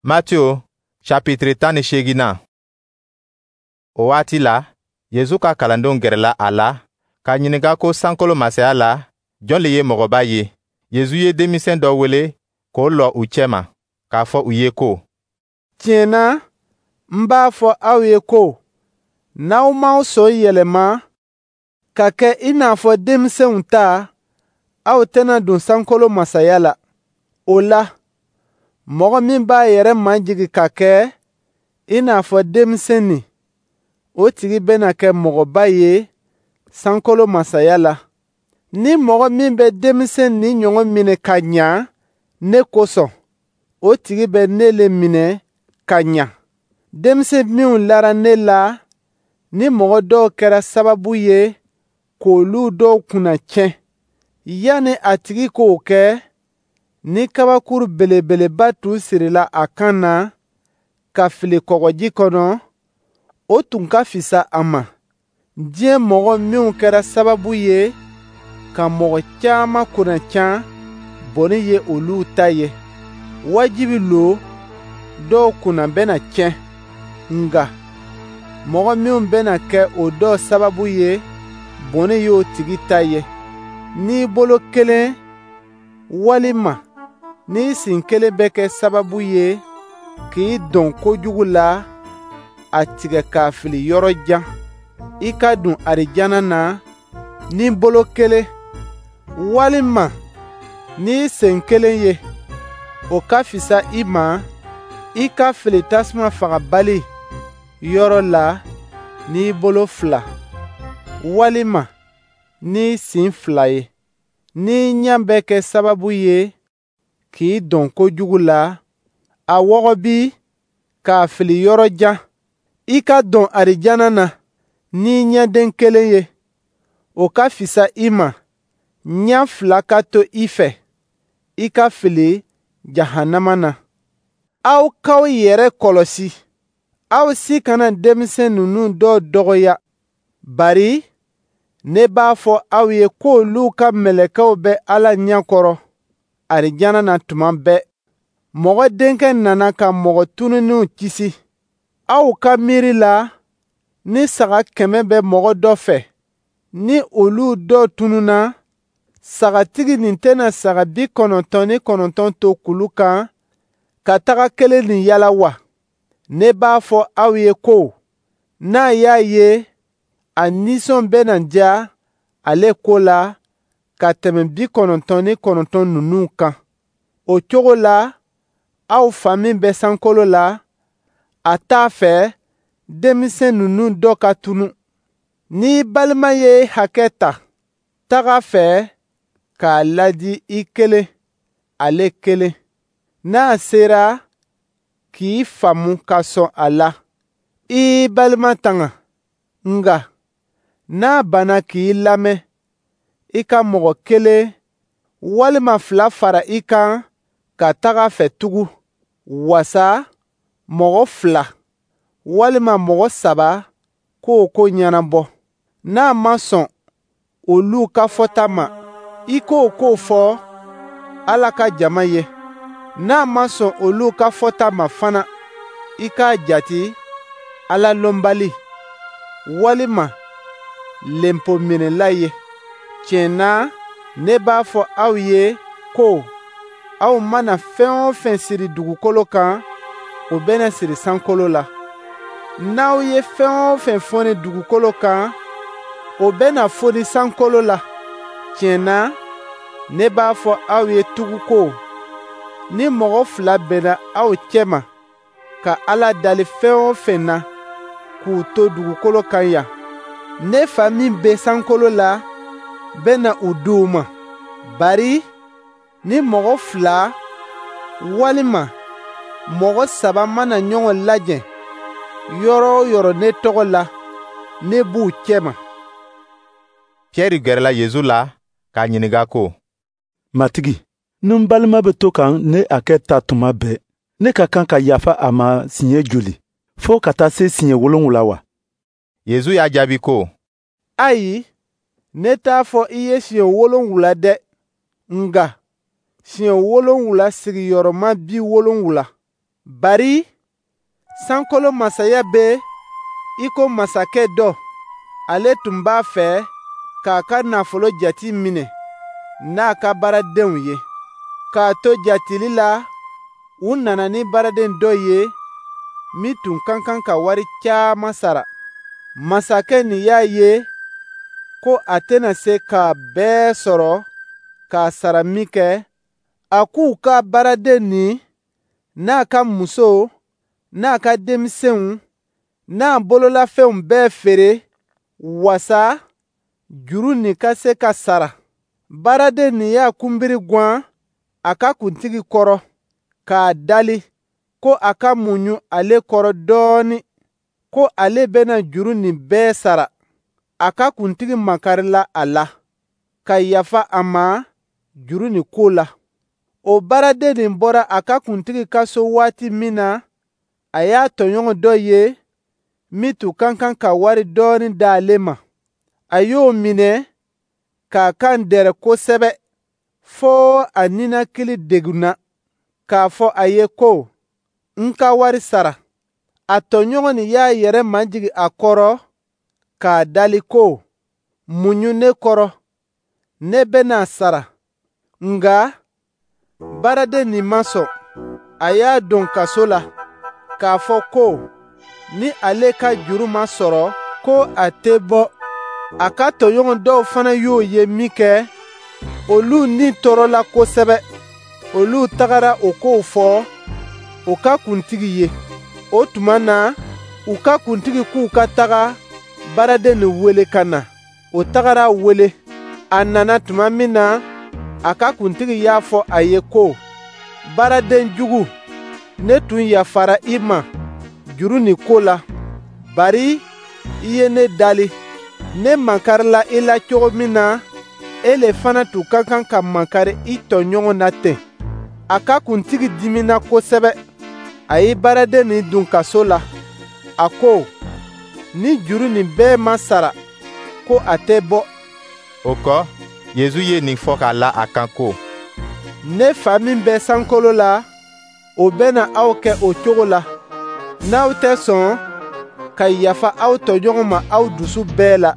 Matiyo chapitre 18nan. O waati la, Yezu ka kalandenw gɛrɛla a la k'a ɲininka ko sankolo masaya la, jɔn le ye mɔgɔba ye? Yezu ye denmisɛn dɔ wele k'o lɔ u cɛma, k'a fɔ u ye ko: Tiɲɛ na, n b'a fɔ aw ye ko n'aw m'aw sɔn yɛlɛma ka kɛ i n'a fɔ denmisɛnw ta, aw tɛna don sankolo masaya la. O la, mɔgɔ min b'a yɛrɛ majigin ka kɛ i n'a fɔ denmisɛnnin, o tigi bɛna kɛ mɔgɔba ye sankolo masaya la. Ni mɔgɔ min bɛ denmisɛn nin ɲɔgɔn minɛ ka ɲa ne kosɔn, o tigi bɛ ne le minɛ ka ɲa. Denmisɛn minw lara ne la, ni mɔgɔ dɔw kɛra sababu ye k'olu dɔw kunna tiɲɛ, yanni a tigi k'o kɛ, ni kabakuru belebeleba tun sirila a kan na ka fili kɔgɔji kɔnɔ, o tun ka fisa a ma. Diɲɛ mɔgɔ minw kɛra sababu ye ka mɔgɔ caman kunna can, bɔnɛ ye olu ta ye. Wajibi lo dɔw kunna bɛna tiɲɛ, nka mɔgɔ minw bɛna kɛ o dɔw sababu ye, bɔnɛ y'o tigi ta ye. N'i bolo kelen walima n'i sen kelen bɛ kɛ sababu ye k'i dɔn kojugu la, a tigɛ k'a fili yɔrɔ jan. I ka don arijana na ni bolo kelen walima n'i sen kelen ye, o ka fisa i ma i ka fili tasuma fagabali yɔrɔ la n'i bolo fila walima n'i sen fila ye. N'i ɲɛ bɛ kɛ sababu ye k'i dɔn kojugu la, a wɔgɔbi k'a fili yɔrɔ jan. I ka don arijana na n'i ɲɛden kelen ye, o ka fisa i ma ɲɛ fila ka to i fɛ, i ka fili jahanama na. Aw k'aw yɛrɛ kɔlɔsi, aw si kana denmisɛn ninnu dɔw dɔgɔya, bari ne b'a fɔ aw ye k'olu ka mɛlɛkɛw bɛ Ala ɲɛ kɔrɔ arijana na tuma bɛɛ. Mɔgɔ Denkɛ nana ka mɔgɔ tununnenw kisi. Aw ka miiri la, ni saga 100 bɛ mɔgɔ dɔ fɛ, ni olu dɔw tununna, sagatigi nin tɛna saga 99 to kulu kan ka taga kelen nin yala wa? Ne b'a fɔ aw ye ko n'a y'a ye, a nisɔn bɛna diya ale ko la ka tɛmɛ 99 ninnu kan. O cogo la, aw fa min bɛ sankolo la, a t'a fɛ denmisɛn ninnu dɔ ka tunu. N'i balima ye hakɛ ta, taga fɛ k'a ladi i kelen, ale kelen. N'a sera k'i faamu ka sɔn a la, i y'i balima tanga. Nka n'a banna k'i lamɛn, i ka mɔgɔ kelen walima fila fara i kan ka taga fɛ tugun, wasa mɔgɔ fila walima mɔgɔ saba k'o ko ɲɛnabɔ. N'a ma sɔn olu ka fɔta ma, i k'o ko fɔ Ala ka jama ye. N'a ma sɔn olu ka fɔta ma fana, i k'a jate Ala lɔnbali walima lenpominɛla ye. Tiɲɛ na, ne b'a fɔ aw ye ko aw mana fɛn o fɛn siri dugukolo kan, o bɛna siri sankolo la. N'aw ye fɛn o fɛn fɔni dugukolo kan, o bɛna foni sankolo la. Tiɲɛ na, ne b'a fɔ aw ye tugun ko ni mɔgɔ fila bɛnna aw cɛma ka Ala dali fɛn o fɛn na k'u to dugukolo kan yan, ne fa min bɛ sankolo la bɛna u di u ma. Bari ni mɔgɔ fila walima mɔgɔ saba mana ɲɔgɔn lajɛ yɔrɔ o yɔrɔ ne tɔgɔ la, ne b'u cɛma. Pierre gɛrɛla Yezu la k'a ɲininka ko: Matigi, ni n balima bɛ to ka ne hakɛ ta tuma bɛɛ, ne ka kan ka yafa a ma siɲɛ joli, fo ka taa se siɲɛ 7 wa? Yezu y'a jaabi ko: Ayi, ne t'a fɔ i ye siɲɛ 7 dɛ, nka siɲɛ 7 sigiyɔrɔma 70. Bari sankolo masaya bɛ i ko masakɛ dɔ, ale tun b'a fɛ k'a ka nafolo jate minɛ n'a ka baaradenw ye. K'a to jateli la, u nana ni baaraden dɔ ye min tun ka kan ka wari caman sara. Masakɛ nin y'a ye ko a tɛna se k'a bɛɛ sɔrɔ k'a sara minkɛ, a k'u ka baaraden nin n'a ka muso n'a ka denmisɛnw n'a bololafɛnw bɛɛ feere wasa juru nin ka se ka sara. Baaraden nin y'a kunbiri gwan a ka kuntigi kɔrɔ k'a dali ko a ka muɲu ale kɔrɔ dɔɔnin, ko ale bɛna juru nin bɛɛ sara. A ka kuntigi makarila a la ka yafa a ma juru nin ko la. O baaraden nin bɔra a ka kuntigi ka so waati min na, a y'a tɔɲɔgɔn dɔ ye min tun ka kan ka wari dɔɔnin d'ale ma. A y'o minɛ k'a kan dɛrɛ kosɛbɛ fo a ninakili degunna, k'a fɔ a ye ko, n ka wari sara. A tɔɲɔgɔn nin y'a yɛrɛ majigin a kɔrɔ k'a dali ko, muɲu ne kɔrɔ, ne bɛna sara. Nka baaraden nin ma sɔn, a y'a don kaso la, k'a fɔ ko ni ale ka juru ma sɔrɔ, ko a tɛ bɔ. A ka tɔɲɔgɔn dɔw fana y'o ye minkɛ, olu ni tɔɔrɔla kosɛbɛ. Olu tagara o kow fɔ u ka kuntigi ye. O tuma na, u ka kuntigi k'u ka taga baaraden nin wele ka na. O tagara wele. A nana tuma min na, a ka kuntigi y'a fɔ a ye ko, baaraden jugu, ne tun yafara i ma juru nin ko la, bari i ye ne dali. Ne makarila i la cogo min na, e le fana tun ka kan ka makari i tɔɲɔgɔn na ten. A ka kuntigi dimina kosɛbɛ. A ye baaraden nin don kaso la. A ko, ni juru nin bɛɛ ma sara, ko a tɛ bɔ. O kɔ, Yezu ye nin fɔ k'a la a kan ko, ne fa min bɛ sankolo la, o bɛna aw kɛ o cogo la, n'aw tɛ sɔn ka yafa aw tɔɲɔgɔn ma aw dusu bɛɛ la.